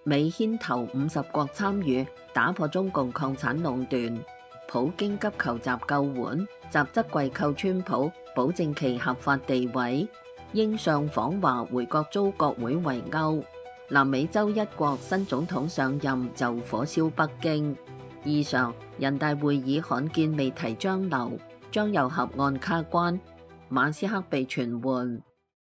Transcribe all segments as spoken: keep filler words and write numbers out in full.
美牽頭五十國參與打破中共礦產壟斷，普京急求習救援，習則跪叩川普，保證其合法地位。英相訪華回國遭國會圍毆。南美洲一國新總統上任就火燒北京。以上，人大會議罕見未提張流，張又俠案卡關，馬斯克被傳喚。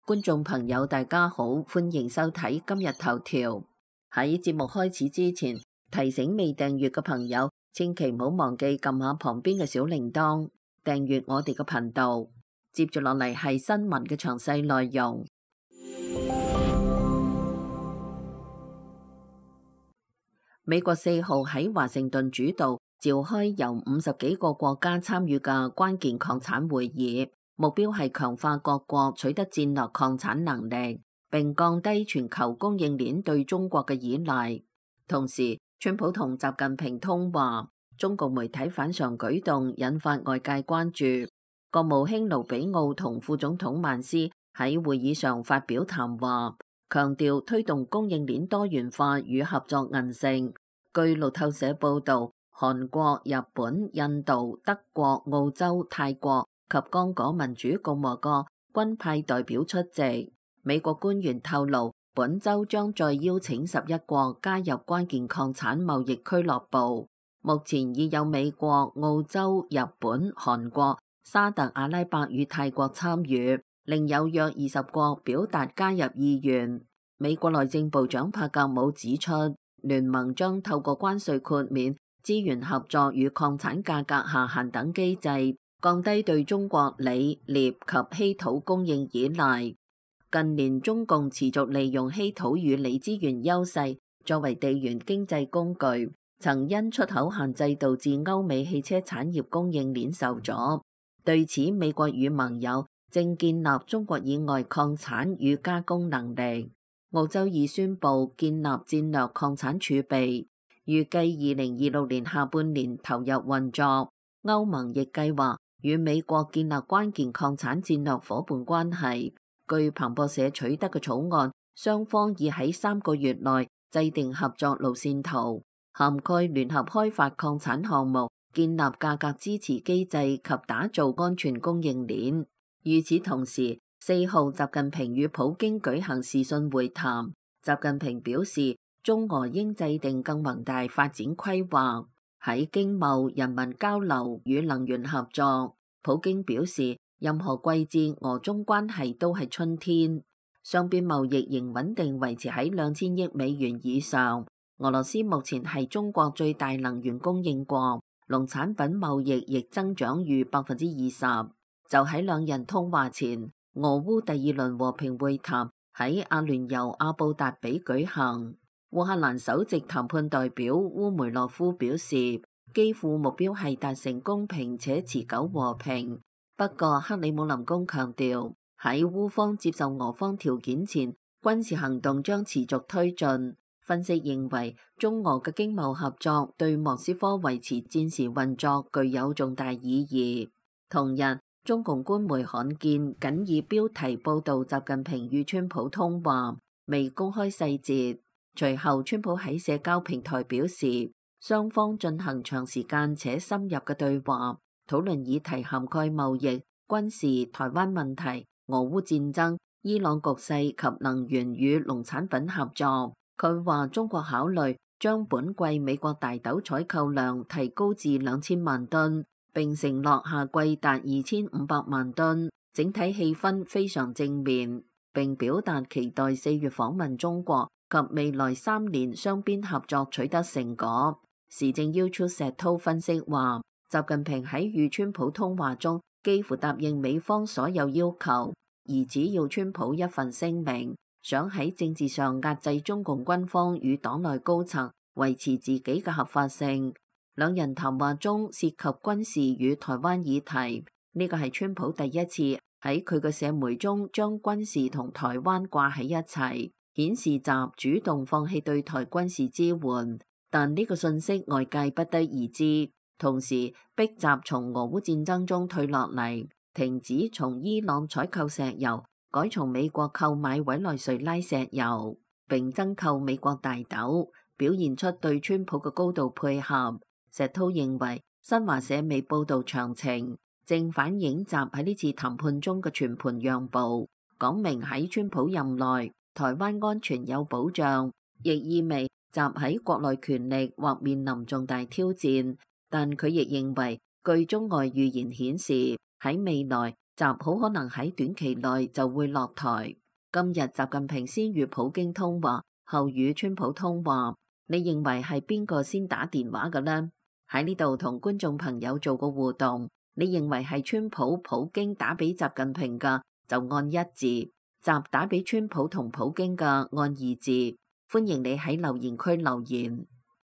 觀眾朋友大家好，歡迎收睇今日頭條。喺節目開始之前，提醒未訂閱嘅朋友，千祈唔好忘記撳下旁邊嘅小鈴鐺，訂閱我哋嘅頻道。接住落嚟係新聞嘅詳細內容。美國四號喺華盛頓主導召開由五十幾個國家參與嘅關鍵礦產會議，目標係強化各國取得戰略礦產能力，並降低全球供應鏈對中國嘅依賴。同時，川普同習近平通話，中共媒體反常舉動引發外界關注。國務卿盧比奧同副總統曼斯喺會議上發表談話，強調推動供應鏈多元化與合作韌性。據路透社報導，韓國、日本、印度、德國、澳洲、泰國及剛果民主共和國均派代表出席。美國官員透露，本週將再邀請十一國加入關鍵礦產貿易俱樂部。目前已有美國、澳洲、日本、韓國、沙特阿拉伯與泰國參與，另有約二十國表達加入意願。美國內政部長帕格姆指出，聯盟將透過關稅豁免、資源合作與礦產價格下限等機制，降低對中國鋰、鎳及稀土供應依賴。近年中共持續利用稀土與鋰資源優勢作為地緣經濟工具，曾因出口限制導致歐美汽車產業供應鏈受阻。對此，美國與盟友正建立中國以外礦產與加工能力。澳洲已宣布建立戰略礦產儲備，預計二零二六年下半年投入運作。歐盟亦計劃與美國建立關鍵礦產戰略夥伴關係。據彭博社取得嘅草案，雙方已喺三個月內制定合作路線圖，涵蓋聯合開發礦產項目、建立價格支持機制及打造安全供應鏈。與此同時，四號習近平與普京舉行視訊會談。習近平表示，中俄應制定更宏大發展規劃，喺經貿、人民交流與能源合作。普京表示，任何季節俄中關係都係春天。雙邊貿易仍穩定維持喺兩千億美元以上。俄羅斯目前係中國最大能源供應國，農產品貿易亦增長逾百分之二十。就喺兩人通話前，俄烏第二輪和平會談喺阿聯酋阿布達比舉行。烏克蘭首席談判代表烏梅諾夫表示，基輔目標係達成公平且持久和平。不過，克里姆林宮強調，喺烏方接受俄方條件前，軍事行動將持續推進。分析認為，中俄嘅經貿合作對莫斯科維持戰時運作具有重大意義。同日，中共官媒罕見僅以標題報導習近平與川普通話，未公開細節。隨後，川普喺社交平台表示，雙方進行長時間且深入嘅對話。討論議題涵蓋貿易、軍事、台灣問題、俄烏戰爭、伊朗局勢及能源與農產品合作。佢話中國考慮將本季美國大豆採購量提高至兩千萬噸，並承諾下季達二千五百萬噸。整體氣氛非常正面，並表達期待四月訪問中國及未來三年雙邊合作取得成果。時政要出石濤分析話，習近平喺與川普通話中幾乎答應美方所有要求，而只要川普一份聲明，想喺政治上壓制中共軍方與黨內高層，維持自己嘅合法性。兩人談話中涉及軍事與台灣議題，呢個係川普第一次喺佢嘅社媒中將軍事同台灣掛喺一齊，顯示習主動放棄對台軍事支援。但呢個信息外界不得而知。同時逼習從俄烏戰爭中退落嚟，停止從伊朗採購石油，改從美國購買委內瑞拉石油。並增購美國大豆，表現出對川普嘅高度配合。石濤認為新華社未報導詳情，正反映習喺呢次談判中嘅全盤讓步，講明喺川普任內台灣安全有保障，亦意味習喺國內權力或面臨重大挑戰。但佢亦認為，據中外預言顯示，喺未來習好可能喺短期內就會落台。今日習近平先與普京通話，後與川普通話，你認為係邊個先打電話嘅呢？喺呢度同觀眾朋友做個互動，你認為係川普普京打俾習近平嘅就按一字，習打俾川普同普京嘅按二字。歡迎你喺留言區留言。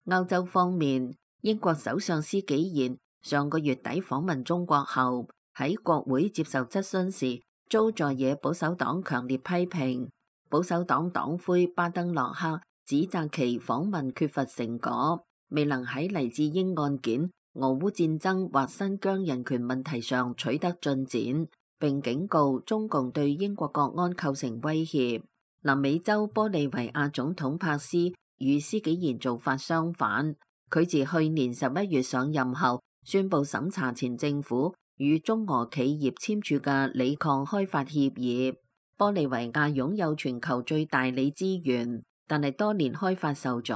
歐洲方面，英國首相施紀賢上個月底訪問中國後，喺國會接受質詢時，遭在野保守黨強烈批評。保守黨黨魁巴登洛克指責其訪問缺乏成果，未能喺黎智英案件、俄烏戰爭或新疆人權問題上取得進展，並警告中共對英國國安構成威脅。南美洲玻利維亞總統帕斯與施紀賢做法相反。佢自去年十一月上任後，宣布審查前政府與中俄企業簽署嘅鋰礦開發協議。玻利維亞擁有全球最大鋰資源，但係多年開發受阻。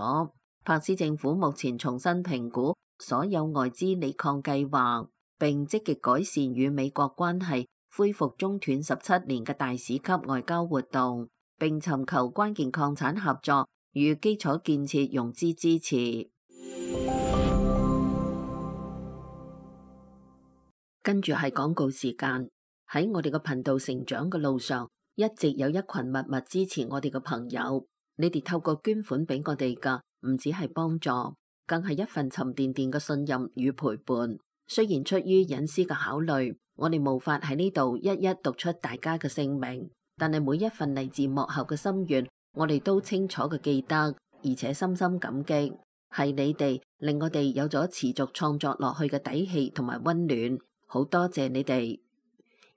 帕斯政府目前重新評估所有外資鋰礦計劃，並積極改善與美國關係，恢復中斷十七年嘅大使級外交活動，並尋求關鍵礦產合作與基礎建設融資支持。跟住係廣告時間。喺我哋嘅頻道成長嘅路上，一直有一群默默支持我哋嘅朋友。你哋透過捐款俾我哋噶，唔只係幫助，更係一份沉甸甸嘅信任與陪伴。雖然出於隱私嘅考慮，我哋無法喺呢度一一讀出大家嘅姓名，但係每一份嚟自幕後嘅心願，我哋都清楚嘅記得，而且深深感激。係你哋令我哋有咗持續創作落去嘅底氣同埋溫暖。好多謝你哋。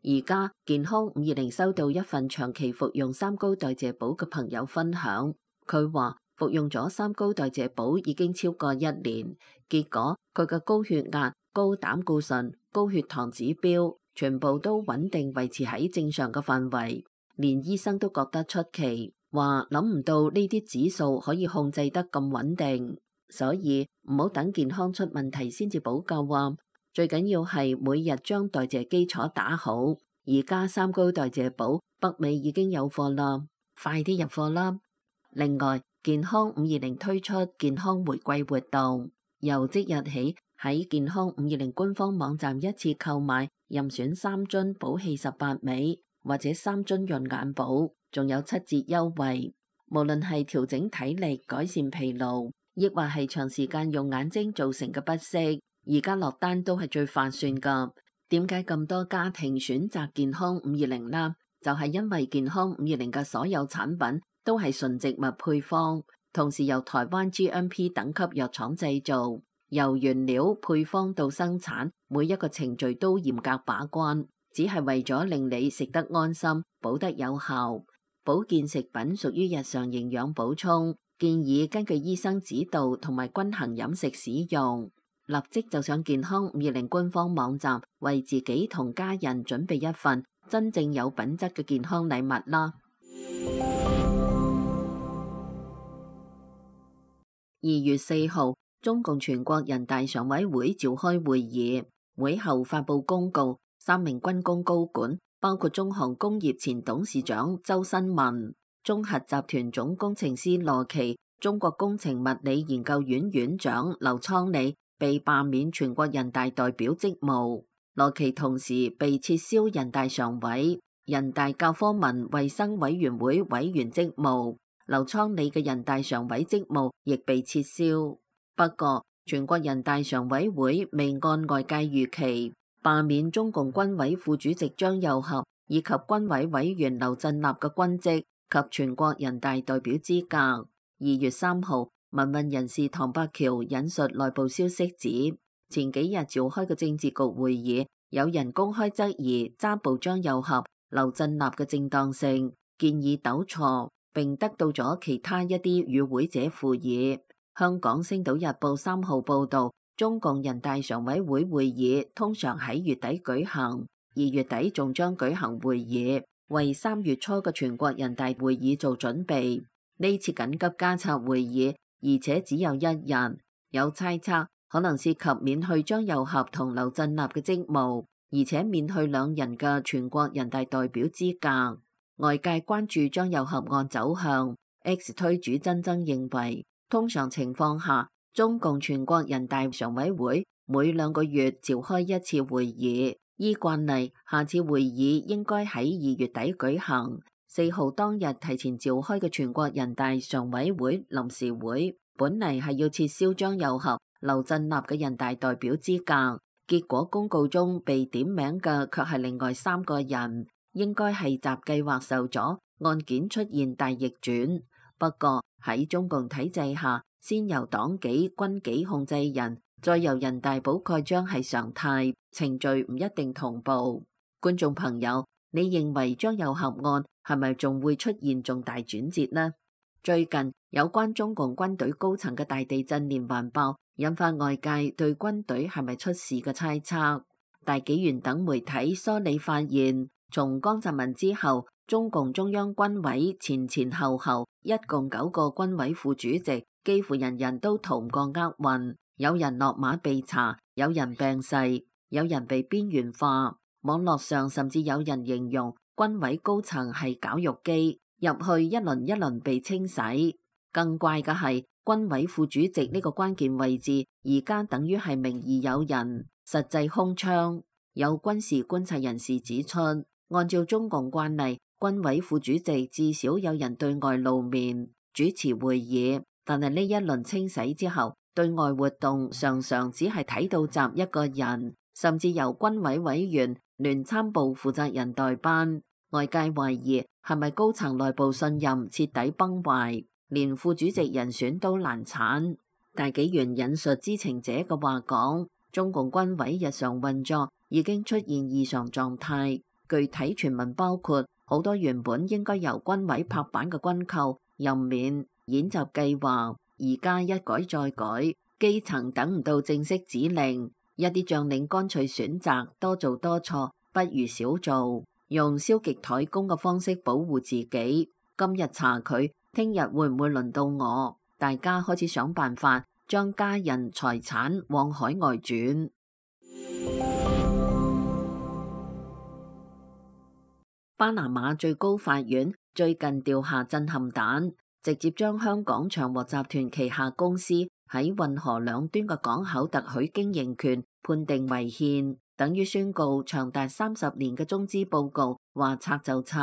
而家健康五二零收到一份長期服用三高代謝寶嘅朋友分享，佢話服用咗三高代謝寶已經超過一年，結果佢嘅高血壓、高膽固醇、高血糖指標全部都穩定維持喺正常嘅範圍，連醫生都覺得出奇，話諗唔到呢啲指數可以控制得咁穩定，所以唔好等健康出問題先至補救啊！最緊要係每日將代謝基礎打好。而家三高代謝寶北美已經有貨啦，快啲入貨啦！另外，健康五二零推出健康回饋活動，由即日起喺健康五二零官方網站一次購買任選三樽寶氣十八味或者三樽潤眼寶，仲有七折優惠。無論係調整體力、改善疲勞，亦或係長時間用眼睛造成嘅不適，而家落單都係最划算噶。點解咁多家庭選擇健康五二零呢？就係因為健康五二零嘅所有產品都係純植物配方，同時由台灣 G M P 等級藥廠製造，由原料配方到生產，每一個程序都嚴格把關，只係為咗令你食得安心、補得有效。保健食品屬於日常營養補充，建議根據醫生指導同埋均衡飲食使用。立即就上健康五二零官方網站，為自己同家人準備一份真正有品質嘅健康禮物啦！二月四號，中共全國人大常委會召開會議，會後發布公告，三名軍工高管，包括中航工業前董事長周新文、中核集團總工程師羅奇、中國工程物理研究院院長劉倉里，被罷免全國人大代表職務，羅奇同時被撤銷人大常委、人大教科文衛生委員會委員職務，劉倉里嘅人大常委職務亦被撤銷。不過，全國人大常委會未按外界預期罷免中共軍委副主席張又俠以及軍委委員劉振立嘅軍職及全國人大代表資格。二月三號。民運人士唐伯橋引述內部消息指，前幾日召開嘅政治局會議，有人公開質疑揸部張又俠、劉振立嘅正當性，建議糾錯。並得到咗其他一啲與會者附議。香港星島日報三號報導，中共人大常委會會議通常喺月底舉行，二月底仲將舉行會議，為三月初嘅全國人大會議做準備。呢次緊急加策會議，而且只有一日，有猜測可能涉及免去張又俠同劉振立嘅職務，而且免去兩人嘅全國人大代表資格。外界關注張又俠案走向。X 推主曾曾認為，通常情況下，中共全國人大常委會每兩個月召開一次會議，依慣例，下次會議應該喺二月底舉行。四號當日提前召開嘅全國人大常委會臨時會，本嚟係要撤銷張又俠、劉振立嘅人大代表資格，結果公告中被點名嘅卻係另外三個人，應該係習計劃受阻，案件出現大逆轉。不過喺中共體制下，先由黨紀軍紀控制人，再由人大補蓋章係常態，程序唔一定同步。觀眾朋友，你認為張又俠案係咪仲會出現重大轉折呢？最近有關中共軍隊高層嘅大地震連環爆，引發外界對軍隊係咪出事嘅猜測。大紀元等媒體梳理發現，從江澤民之後，中共中央軍委前前後後一共九個軍委副主席，幾乎人人都逃唔過厄運，有人落馬被查，有人病逝，有人被邊緣化。網絡上甚至有人形容軍委高層係絞肉機，入去一輪一輪被清洗。更怪嘅係，軍委副主席呢個關鍵位置，而家等於係名義有人，實際空窗。有軍事觀察人士指出，按照中共慣例，軍委副主席至少有人對外露面主持會議，但係呢一輪清洗之後，對外活動常常只係睇到習一個人，甚至由軍委委員、聯參部負責人代班。外界懷疑係咪高層內部信任徹底崩壞，連副主席人選都難產。大紀元引述知情者嘅話講，中共軍委日常運作已經出現異常狀態，具體傳聞包括好多原本應該由軍委拍板嘅軍購、任免、演習計劃，而家一改再改，基層等唔到正式指令，一啲將領乾脆選擇多做多錯，不如少做，用消極怠工嘅方式保護自己。今日查佢，聽日會唔會輪到我？大家開始想辦法將家人財產往海外轉。巴拿馬最高法院最近掉下震撼彈，直接將香港長和集團旗下公司喺運河兩端嘅港口特許經營權判定違憲，等於宣告長達三十年嘅中資報告話拆就拆。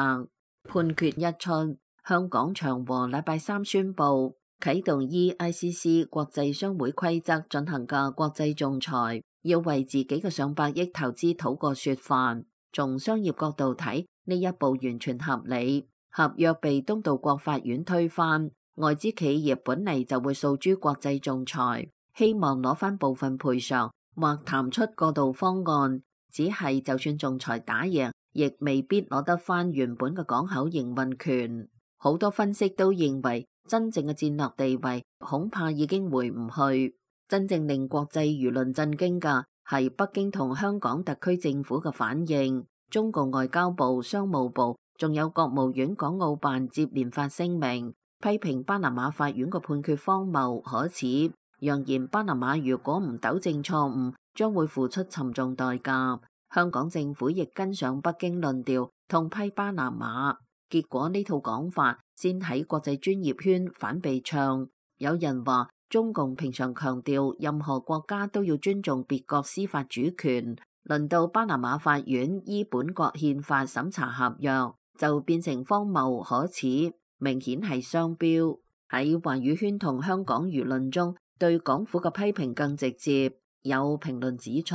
判決一出，香港長和禮拜三宣布啟動依 I C C 國際商會規則進行嘅國際仲裁，要為自己嘅上百億投資討個說法。從商業角度睇，呢一步完全合理。合約被東道國法院推翻，外資企業本嚟就會訴諸國際仲裁，希望攞翻部分賠償或談出過渡方案。只係就算仲裁打贏，亦未必攞得翻原本嘅港口營運權。好多分析都認為，真正嘅戰略地位恐怕已經回唔去。真正令國際輿論震驚嘅係北京同香港特區政府嘅反應。中共外交部、商務部仲有國務院港澳辦接連發聲明，批評巴拿馬法院嘅判決荒謬可恥，揚言巴拿馬如果唔糾正錯誤，將會付出沉重代價。香港政府亦跟上北京論調，痛批巴拿馬。結果呢套講法先喺國際專業圈反被唱。有人話中共平常強調任何國家都要尊重別國司法主權，輪到巴拿馬法院依本國憲法審查合約，就變成荒謬可恥，明顯係雙標。喺華語圈同香港輿論中，對港府嘅批評更直接。有評論指出，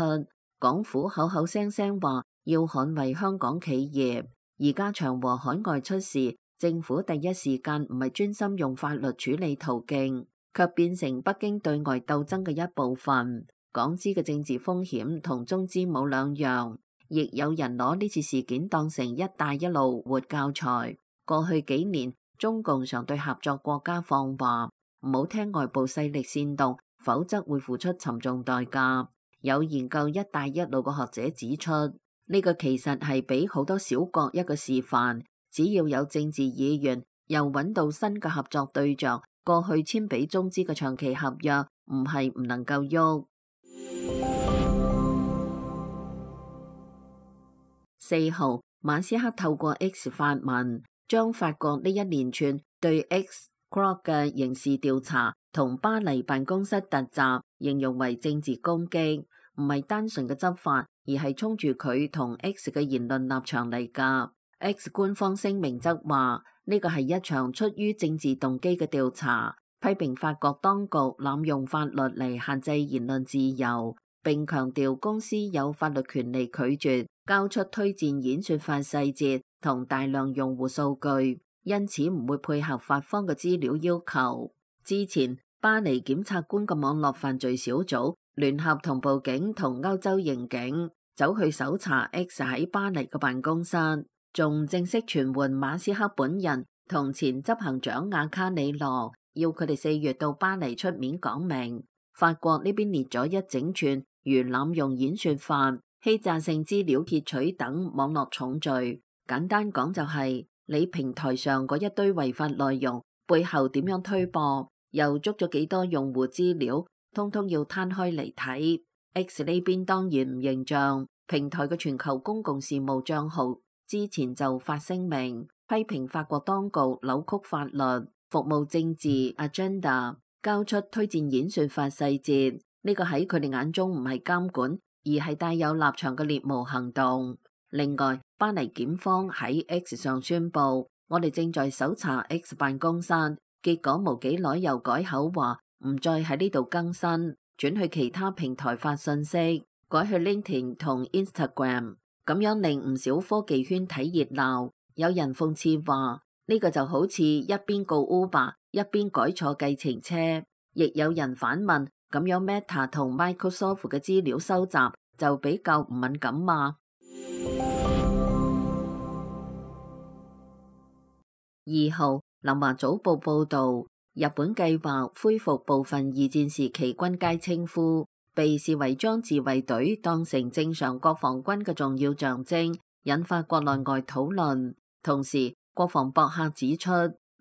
港府口口聲聲話要捍衛香港企業，而家長和海外出事，政府第一時間唔係專心用法律處理途徑，卻變成北京對外鬥爭嘅一部分。港資嘅政治風險同中資冇兩樣，亦有人攞呢次事件當成一帶一路活教材。過去幾年，中共常對合作國家放話，唔好聽外部勢力煽動，否則會付出沉重代價。有研究一帶一路嘅學者指出，呢個其實係俾好多小國一個示範，只要有政治意願，又揾到新嘅合作對象，過去簽俾中資嘅長期合約唔係唔能夠喐。四號，馬斯克透過 X 發文，將法國呢一連串對 X Corp 嘅刑事調查同巴黎辦公室突襲形容為政治攻擊，唔係單純嘅執法，而係衝住佢同 X 嘅言論立場嚟噶。X 官方聲明則話呢個係一場出於政治動機嘅調查，批評法國當局濫用法律嚟限制言論自由，並強調公司有法律權利拒絕交出推薦演算法細節同大量用戶數據，因此唔會配合法方嘅資料要求。之前巴黎檢察官嘅網絡犯罪小組聯合同步警同歐洲刑警走去搜查 X 喺巴黎嘅辦公室，仲正式傳喚馬斯克本人同前執行長亞卡里羅，要佢哋四月到巴黎出面講明。法國呢邊列咗一整串如濫用演算法、欺詐性資料竊取等網絡重罪。簡單講就係你平台上嗰一堆違法內容背後點樣推播，又捉咗幾多用戶資料，通通要攤開嚟睇。X 呢邊當然唔認賬，平台嘅全球公共事務賬號之前就發聲明批評法國當局扭曲法律，服務政治 agenda， 交出推薦演算法細節。呢個喺佢哋眼中唔係監管，而係帶有立場嘅獵巫行動。另外，巴黎檢方喺 X 上宣布，我哋正在搜查 X 辦公室，結果冇幾耐又改口話唔再喺呢度更新，轉去其他平台發信息，改去 LinkedIn 同 Instagram， 咁樣令唔少科技圈睇熱鬧。有人諷刺話呢個就好似一邊告 Uber 一邊改錯計程車，亦有人反問，咁樣 Meta 同 Microsoft 嘅資料收集就比較唔敏感嘛？二號，南華早報報道，日本計劃恢復部分二戰時期軍階稱呼，被視為將自衛隊當成正常國防軍嘅重要象徵，引發國內外討論。同時，國防博客指出，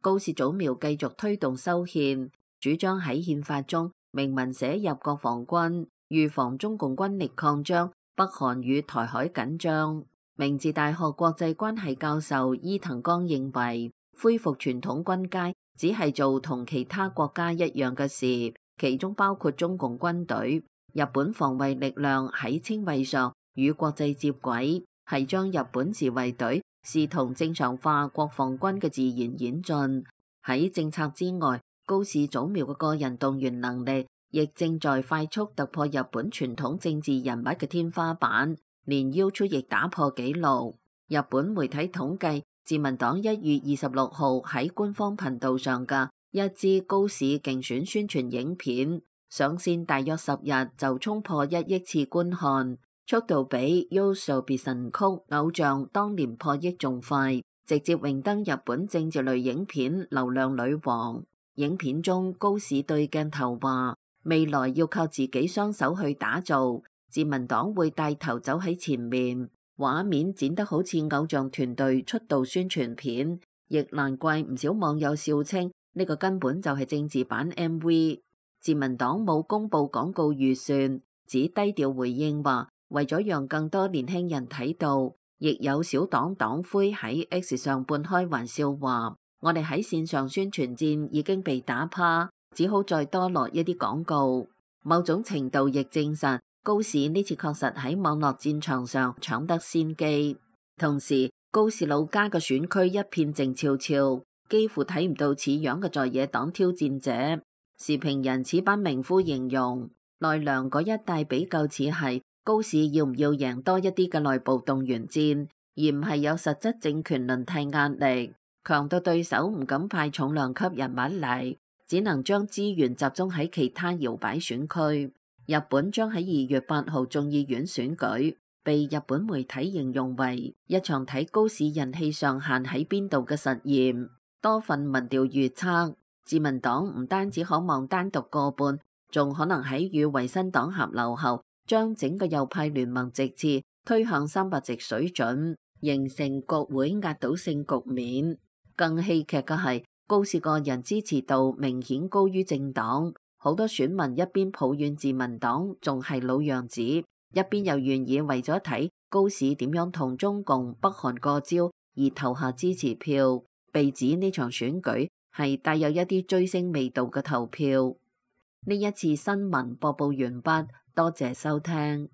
高市早苗繼續推動修憲，主張喺憲法中明文寫入國防軍，預防中共軍力擴張，北韓與台海緊張。明治大學國際關係教授伊藤剛認為，恢復傳統軍階只係做同其他國家一樣嘅事，其中包括中共軍隊。日本防衛力量喺稱謂上與國際接軌，係將日本自衛隊視同正常化國防軍嘅自然演進。喺政策之外，高市早苗嘅個人動員能力亦正在快速突破日本傳統政治人物嘅天花板，連 YouTube 亦打破紀錄。日本媒體統計，自民黨一月二十六號喺官方頻道上嘅一支高市競選宣傳影片上線大約十日就衝破一億次觀看，速度比 YOASOBI 神曲偶像當年破億仲快，直接榮登日本政治類影片流量女王。影片中高市對鏡頭話，未來要靠自己雙手去打造，自民黨會帶頭走喺前面。畫面剪得好似偶像團隊出道宣傳片，亦難怪唔少網友笑稱呢個根本就係政治版 M V。自民黨冇公布廣告預算，只低調回應話，為咗讓更多年輕人睇到，亦有小黨黨魁喺 X 上半開玩笑話，我哋喺線上宣傳戰已經被打趴，只好再多落一啲廣告。某種程度亦證實高市呢次確實喺網絡戰場上搶得先機。同時，高市老家嘅選區一片靜悄悄，幾乎睇唔到似樣嘅在野黨挑戰者。時評人此版名夫形容，奈良嗰一帶比較似係高市要唔要贏多一啲嘅內部動員戰，而唔係有實質政權輪替壓力，強到對手唔敢派重量級人物嚟，只能將資源集中喺其他搖擺選區。日本將喺二月八號眾議院選舉，被日本媒體形容為一場睇高市人氣上限喺邊度嘅實驗。多份民調預測，自民黨唔單止可望單獨過半，仲可能喺與維新黨合流後，將整個右派聯盟席次推向三百席水準，形成國會壓倒性局面。更戲劇嘅係，高市個人支持度明顯高於政黨，好多選民一邊抱怨自民黨仲係老樣子，一邊又願意為咗睇高市點樣同中共北韓過招而投下支持票。被指呢場選舉係帶有一啲追星味道嘅投票。呢一次新聞播報完畢，多謝收聽。